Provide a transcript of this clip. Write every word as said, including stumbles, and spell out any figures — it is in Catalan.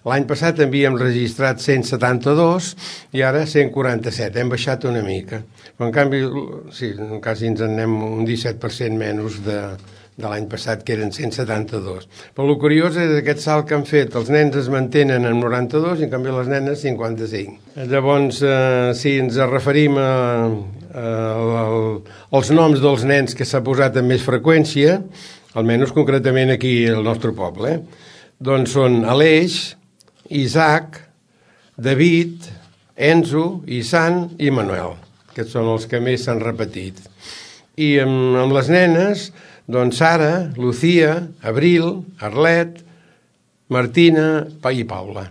L'any passat havíem registrat cent setanta-dos i ara cent quaranta-set, hem baixat una mica. Però en canvi, sí, quasi ens en anem un disset per cent menys de, de l'any passat, que eren cent setanta-dos. Però el curiós és aquest salt que han fet. Els nens es mantenen en noranta-dos i en canvi les nenes cinquanta-cinc. Llavors, eh, si ens referim a, a, a, als noms dels nens que s'ha posat amb més freqüència, almenys concretament aquí al nostre poble, eh? Doncs són Aleix, Isaac, David, Enzo, Isan i Manuel. Aquests són els que més s'han repetit. I amb, amb les nenes, doncs Sara, Lucía, Abril, Arlet, Martina i Paula.